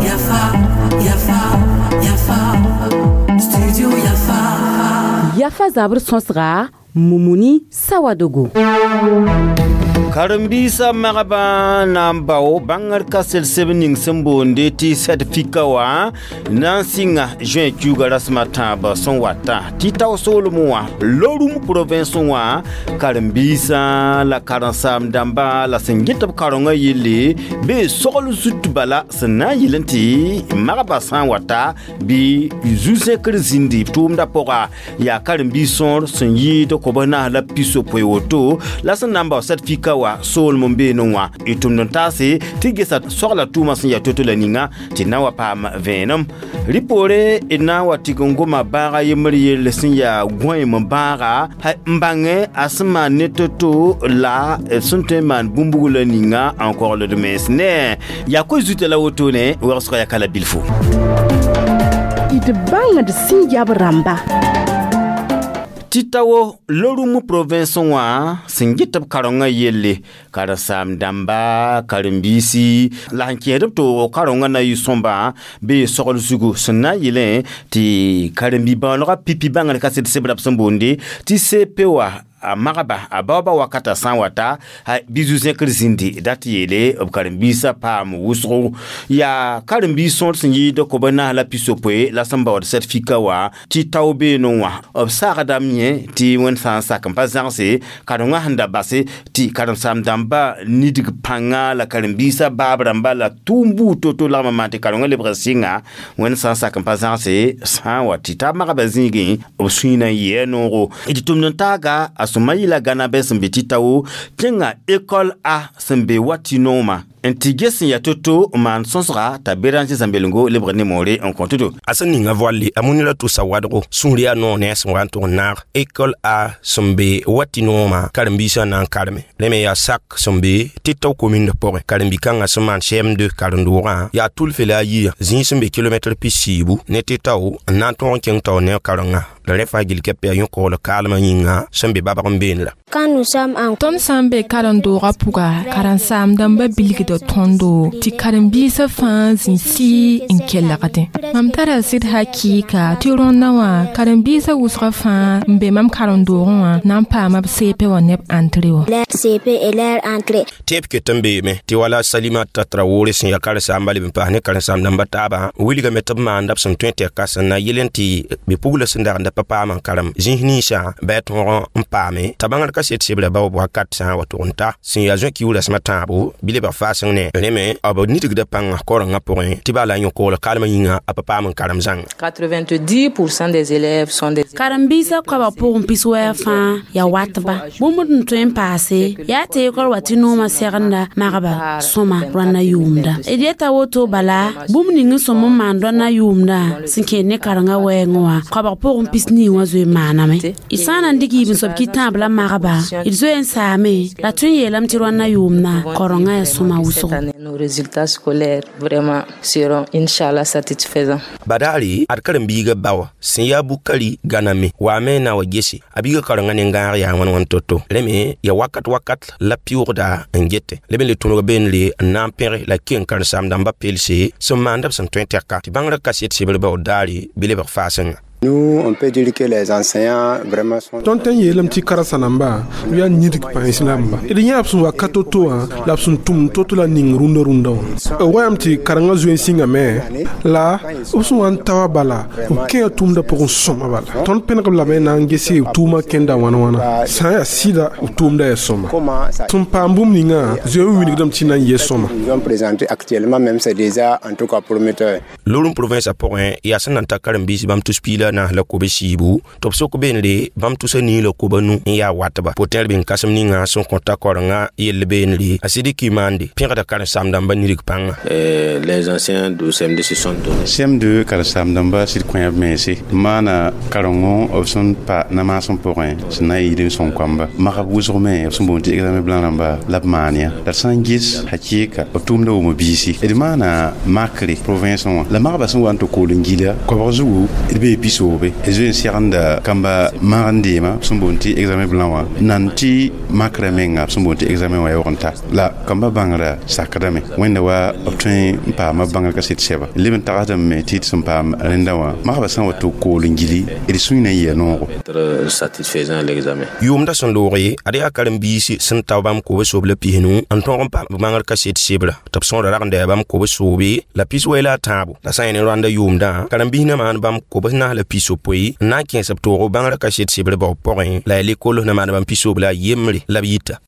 Yafa, Yafa, Yafa, Studio Yafa. Yafa zabr sõsga Mumuni Sawadogo. Karen-biisã magbã na n bao bãngr kasel seb ning sẽn boonde tɩ sɛtfika wã na n sɩnga juin kiuugã rasem a tãab sẽn wata tɩ tao soolem wã Lorum province wã karen-biisã la karen-saam dãmba la sẽn get b karenga yelle bee sogl zut bala sẽn na n yel n tɩ magbã sã n wata bɩ zu-zẽkr zĩndi b tʋʋmdã pʋga yaa karen-biis sõor sẽn yɩɩd kob naas la pisopoe woto la sẽn na n bao sɛtfika wã soolem n beene wã y tʋmd n taase tɩ gesa sogla tʋʋmã sẽn yaa to-to la ninga tɩ na wa paam vẽenem rɩ poore d na n wa tɩg n goma bãaga yembr yell sẽn yaa gõeem bãaga n bãngẽ a sẽn maan ne to-to la b sẽn tõe n maan bũmb-buglã ninga n kogld mens ne yaa koe zuta la wotone wegsgã yaa ka la bilfo. D bãngd sẽn yab rãmba. Tɩ tao Lorum province wã sẽn get b karengã yelle karen-saam dãmba karen-biisi la sẽn kẽed b tooogo karengã na yɩ sõmba bee sogl zugu sẽn na n yelẽ tɩ karen-bi-bãoonegã pipi bãngr kaset sebra b sẽn boonde tɩ CP wã a magba a baooba wakata sã n wata bɩ zu-zẽkr zĩndi dat yeele b karen-biisã paam wʋsgo yaa karen-biis sõor sẽn yɩɩd kob naas la pisopoe la sẽn baood sɛtfika wã tɩ tao beene wã b saagdame yẽ tɩ wẽnd sã n sak n pa zãgse karengã sẽn da base tɩ karen-saam dãmba nidg pãnga la karen-biisã baab rãmba la tʋʋm buud to-to lagm n maan tɩ karengã lebg sɩnga wẽnd sã n sak n pa zãgse sã n wa tɩ t'a magbã zĩigẽ b sũyã n yɩa noogo d tʋmd n taaga a sõma yɩla gãna bɛ sẽn be tɩ tao kẽnga école A sẽn be wa tɩ noomã n tɩ ges sẽn yaa to-to n maan sõsga t'a Béranger Zãmbelengo lebg ne moore n kõ to-to. A sẽn ninga voalle a munira tʋsa wadgo sũur yaa noog ne a sẽn wa n tʋg n naag école A sẽn be wa tɩ noomã karen-biisã na n kareme rẽ me yaa sak sẽn be tɩ tao commune pʋgẽ karen-bi-kãngã sẽn maan CM2 karen-doogã yaa tʋlfe la a yia zĩig sẽn be kilomɛtr 40 ne tɩ tao n na n tõog n kẽng tao ne karengã la rẽ fãa gill kɛp yaa yõ-koogl kaalmã yĩnga sẽn be babg n beene la. Quand nous sommes en Tõnd sã n be karen-doogã pʋga karen-saam dãmbã bilgda tõndo tɩ karen-biisã fãa zĩ sɩɩ n kelgdẽ mam tara sɩd hakɩɩka tɩ rõndã wã karen-biisã wʋsgã fãa n be mam karen-doogẽ wã na n paama b CP wã neb entrée wã. Leur CP et leur entrée. Tẽeb ket n beeme tɩ wala Salimata Traore sẽn yaa karen-saamba leb n paas ne karen-saam dãmba taabã wilgame tɩ b maanda b sẽn tõe tɛka sẽn na yel n tɩ bɩ-pugla sẽn dag n da pa paam n karem zĩis ninsã bɩ a tõog n paame t'a bãngr kaset sebra baoob wakat sã n wa tʋg n ta sẽn yaa zõ kiu rasem a tãabo bɩ lebg faaseng ne rẽ me b nidgda pãnga korengã pʋgẽ tɩ baa la a yõ-koogl kaalmã yĩnga a pa paam n karem zãnga. 90% des élèves sont des Karen-biisã koabg pʋgẽ piswɛɛg fãa yaa watba bũmb n tõe n paase yaa tɩ école wa tɩ noomã segenda magba sõma rõanda yʋʋmda d yeta woto bala bũmb ning n sõm n maan rõanda yʋʋmdã sẽn kẽed ne karengã wɛɛngẽ wã koabg pʋgẽ pisnii wã zoe n maaname d sã n na n dɩk yiib-n-soab kɩ tãab la magba d zoe n saame la tõe n yeelame tɩ rõanda yʋʋmdã karengã yaa sõma wʋsgo. Cette année, nos résultats scolaires vraiment seront, Inch'Allah, satisfaisants. Badaare ad karen-biiga bawa sẽn yaa Bukari gãname waame na wa gese a biiga karengã ne-gãag yaa wãn wãn to-to rẽ me yaa wakat wakat la pɩʋʋgda n gete leb n le tõneg beenre n na n pẽge la keng karen-saam dãmba pelse sẽn maanda b sẽn tõe tɛka tɩ bãngrã kaset sebr baood daare bɩ lebg faasengã. Nous, on peut dire que les enseignants vraiment sont. Tõnd tõe n yeelame tɩ karen-sa-namba b yaa nidg pãens rãmba d yã b sẽn wakat to-to wã la b sẽn tʋm to-to la ning rũndã rũndã wã b wayame tɩ karengã zoe n sĩngame la b sẽn wa n ta wa bala b kẽa tʋʋmdã pʋgẽ sõma bala tõnd pẽneg b lame na n gese b tʋʋmã kẽnda wãn wãna sã n yaa sɩda b tʋʋmda yaa sõma sẽn paam bũmb ningã zoe n wilgdame tɩ na n yɩ sõma. Ils ont présenté actuellement même, c'est déjà en tout cas prometteur. Lorum province pʋgẽ yaa sẽn na n ta karen-biis bãmb tus piila na la kobe siibu tɩ b sok beenre bãmb tusa nii la koba nu n yaa watba pʋtẽer bĩng kãsem ninga sẽn kõta korengã yell beenre a Sidiki maande pẽgda karen-saam dãmba nidg pãnga. Les enseignants du CM2 se sont donnés. CM2 karen-saam dãmba sɩd kõ b mense maana karengo b sẽn pa na-maasem pʋgẽ sẽn na n yɩɩd n sõng koamba magb wʋsg me b sẽn boond tɩ examen blanc rãmba la b maan ya la d sã n ges hakɩɩka b tʋʋmda wʋma biisi d maana makre province wã La magba sẽn wa n tɩ kool n gila koabg zugu d bee pisoobe d zoe n segenda kamba mag n deema b sẽn boond tɩ examen blanc wã nan tɩ makrã menga b sẽn boond tɩ examen wã yaoog n ta la kamba bãngrã sakdame wẽnda wa b tõe n paama bãngr kaset sɛba leb n tagsdame tɩ d sẽn paam rẽndã wã magba sã n wa tɩ kool n gili d sũy na n yɩa noogo. Satisfaisant l'examen. Yʋʋmda sẽn looge ad yaa karen-biisi sẽn ta bãmb kob-soob la pisnu n tõog n paam bãngr kaset sebra tɩ b sõora rag n da bãmb kob-soobe la pis-wɛ la a tãabo la sã n yẽ ne rõanda yʋʋmdã karen-biis na maan bãmb kob-naas la pis-yopoe n na n kẽes b toogo bãngrã kaset sebr bao pʋgẽ la yaa lekols na maan bãmb pis-soob la a yembre la b yita.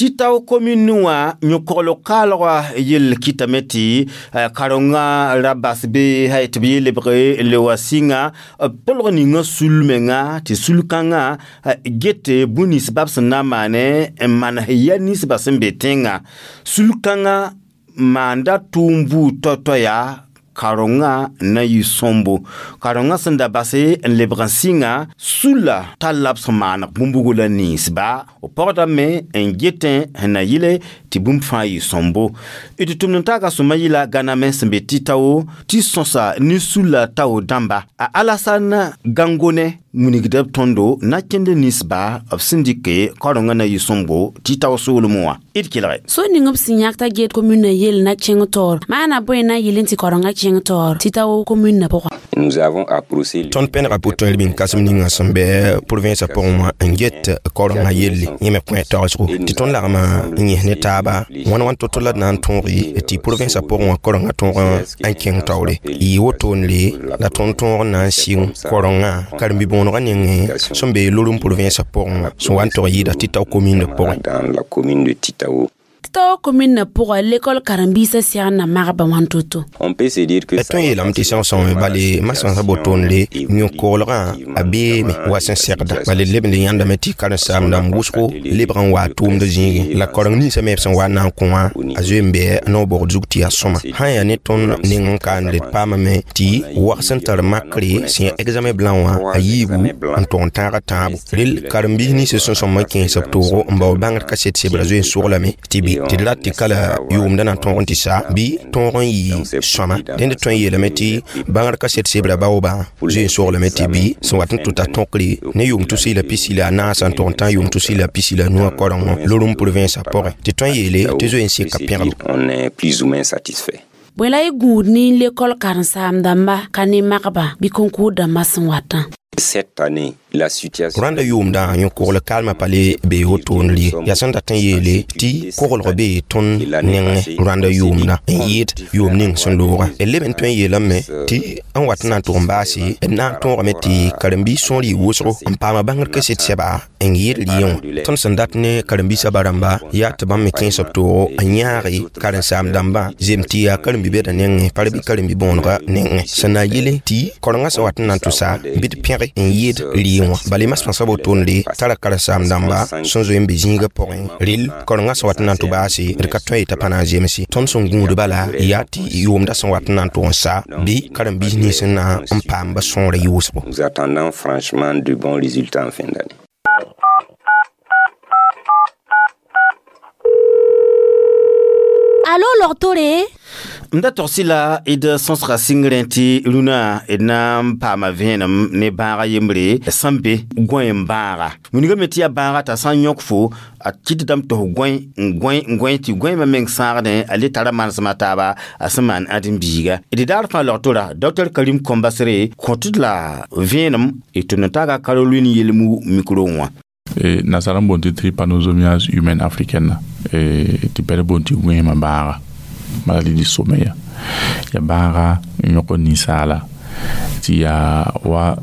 Tɩ tao commune wã yõ-kogl kaalgã yell kɩtame tɩ karengã ra bas be tɩ b yee lebg n le wa sɩnga pʋlg ninga sul menga tɩ sul-kãngã get bũn-ninsbã b sẽn na n maane n manes ya ninsbã sẽn be tẽngã sul-kãngã maanda tʋʋm buud tao-tao yaa karengã na yɩ sõmbo karengã sẽn da base n lebg n sɩnga sulla talla b sẽn maaneg bũmbugu la ninsba b pɔgdame n getẽ sẽn na yɩle tɩ bũmb fãa yɩ sõmbo d tʋmd n taaga sõma yɩla gãname sẽn be tɩ tao tɩ sõsa ne sulla tao dãmba a Alassane Gangone wilgda b tõndo na kẽnd ninsba b sẽn dɩke karengã na yɩ sõmbo tɩ tao soolmẽ wã d kelge. So ning b sẽn yãk t'a get commune yell na kẽng taoor maana bõe na yɩl n tɩ karengã kẽng taoor tɩ tao commune pʋgã. Nous avons approché Tõnd pẽnega pʋ-tõe b kãsem ninga sẽn bɩ province pʋgẽ wã n get karengã yelle yẽ me kõ tagsgo tɩ tõnd lagma n yẽs ne taaba wãn wãn to-to la d na n tõoge tɩ province pʋgẽ wã karengã tõog n kẽng taoore yɩ wotone la tõnd tõog n na n sɩng karengã karen-bi-bõonegã nengẽ sẽn be Loroum province pʋgẽ wã sẽn wa n tog yɩɩda tɩ tao commune pʋgẽ. Dans la commune de Titao. Tao commune pʋgã l'école karen-biisã segd na magba wãn to-to. On peut se dire que Tõe n yeelame tɩ sõsẽme bale masãnsã botoonre yõ-koglgã a beeme wa sẽn segda bala d leb n le yãndame tɩ karen-saam-dãmb wʋsgo lebg n waa tʋʋmd zĩigẽ la kareng ninsã me b sẽn wa n na n kõ wã a zoe n bɩ naoog bogd zug tɩ yaa sõma sã n yaa ne tõnd neng n kaande d paamame tɩ wag sẽn tar makre sẽn yaa examen blanc wã a yiibu n tog n tãaga tãabo rel karen-biis ninsã sẽn sõm n kẽes b toogo n bao bãngr kaset sebra zoe n soglame tɩ bɩ tɩ d rat tɩ kala yʋʋmdã na tõog n tɩ sa bɩ tõog n yɩ sõma dẽnd tõe n yeelame tɩ bãngr kaset sebra baoobã zoe n soglame tɩ bɩ sẽn wat n tʋta tõkre ne yʋʋm tus la pisi la a naasã n tog n tã yʋʋm tus la pisi la nuwã karengõ Loroum province pʋgẽ tɩ tõe n yeele tɩ zoe n seka pẽgbo. On est plus ou moins satisfait. Bõe la y gũud ne l'école karen-saam-dãmba ka ne magba bɩ concours dãmbã sẽn watã? Cette année, la situation Rãnda yʋʋmdã yõ-kogl kalmã pa le bee wotone ye yaa sẽn dat n yeele tɩ koglg bee tõnd nengẽ rãnda yʋʋmdã n yɩɩd yʋʋm ning sẽn loogã d leb n tõe n yeelame tɩ n wat n na n tʋg n baase d na n tõogame tɩ karen-biis sõor yɩ wʋsgo n paama bãngr kaset sɛba n yɩɩd rɩẽ wã tõnd sẽn dat ne karen-biisã ba-rãmba yaa tɩ bãmb me kẽes b toogo n yãage karen-saam-dãmbã zem tɩ yaa karen-bi-bɛda nengẽ pa bɩ karen-bi-bõonegã nengẽ sẽn na yele tɩ karengã sẽn wat n na n tʋsa bɩ d pẽge n yɩɩd rɩẽ wã bala masãnsã wotone tara karen-saam-dãmba sẽn zoe n be zĩigã pʋgẽ rel karengã sẽn wat n na n tʋ baase d ka tõe t'a pa na n zemse tõnd sẽn gũud bala yaa tɩ yʋʋmdã sẽn wat n na n tʋg n sa bɩ karen-biis nins n na n paamba sõora yʋʋsgo. Nous attendons franchement de bons résultats en fin d'année. Alo logtore. M da togsɩ la d sõsga sɩngrẽ tɩ rũnã d na n paama vẽenem ne bãaga yembre sẽn be gõe n bãaga wilgame tɩ yaa bãaga t'a sã n yõk fo a kɩtdame tɩ f gõe n gõe n gõe tɩ gõeemã meng sãagdẽ a le tara manesmã taaba a sẽn maan ãdem-biiga d daar fãa logtora Dr Karim Kõmbasre kõt d la vẽenem d tʋmd n taaga Caroline yelmu micro wã. Nasara n boond tɩ trypanosomiase humaine africaine tɩ bɛd boond tɩ gõeemã bãaga maladie du sommeil ya bãaga n yõk ninsaala tɩ yaa wa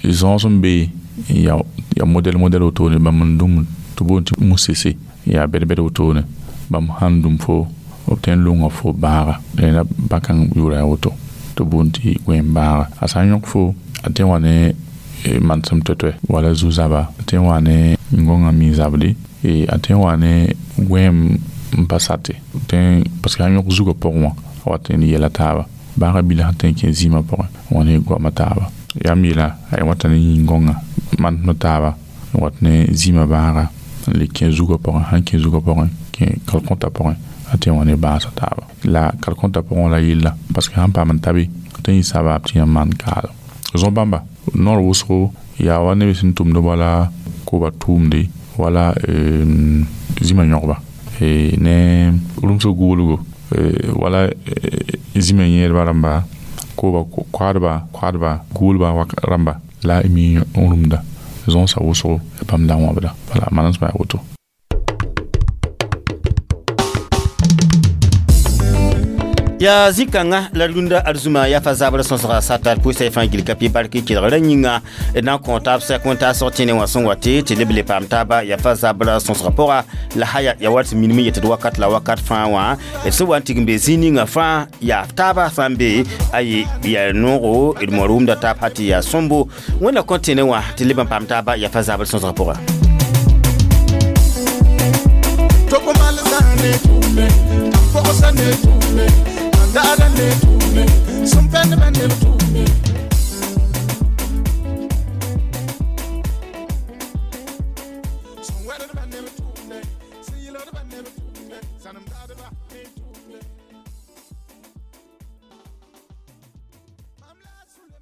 zãos n be ya modɛl modɛl wotone bãmb n dũm tɩ boond tɩ musese yaa bɛd-bɛd wotone bãmb sãn dũm fo b tõe n longa fo bãaga rẽnda bã-kãng yʋʋra yaa woto tɩ boond tɩ gõeem bãaga a sã n yõk fo a tõe n wa ne manesem toɛ-toɛ wala zu-zaba a tõe n wa ne gõngã mi-zabde a tõe n wa ne gõeem n pa sate parce que a yõk zugã pʋgẽ wã a wat n yɛla taaba bãaga bilã sẽn tõe n kẽ zĩimã pʋgẽ n wa ne goamã taaba yaa m yeela a wata ne yĩn-gõngã manesmã taaba n wat ne zĩimã bãaga N le kẽ zugã pʋgẽ, sãn kẽ zugã pʋgẽ, kẽ kalkõta pʋgẽ, a tɩ wã ne bãasã taaba. La kalkõta pʋgẽ la yella, parce que sãn paam n ta be, tɩ yẽ sabaab tɩ yãmb maan kaalem. Zõ-bãmba, noor wʋsgo yaa wa neb sẽn tʋmd wala koba tʋʋmde, wala zĩma yõgba ne rũmsg goolgo, wala zĩma yẽedba rãmba, koba koadba goolba rãmba la y mi n rũmda zõnsa wʋsgo bãmb da wãbda. Wala manesmã yaa woto. Yaa zĩ-kãngã la rũndã arzũma yaa fa zabr sõsga satar pʋɩsa y fãa gil ka pɩ bark kelgra yĩnga d na n kõ taab sɛk wẽn-taasg tẽne wã sẽn wa tɩ leb le paam taaba yaa fa zabr sõsga pʋga la haya ya wat sẽn minim n yet d wakat la wakat fãa wã d sẽn wa n tigim be zĩ ninga fãa yaa taaba sã n be aye yaa noogo d moor wʋmda taab ha tɩ yaa sõmbo wẽnna kõ tẽne wã tɩ leb n paam taaba yaa fa zabr sõsga pʋga. Sanam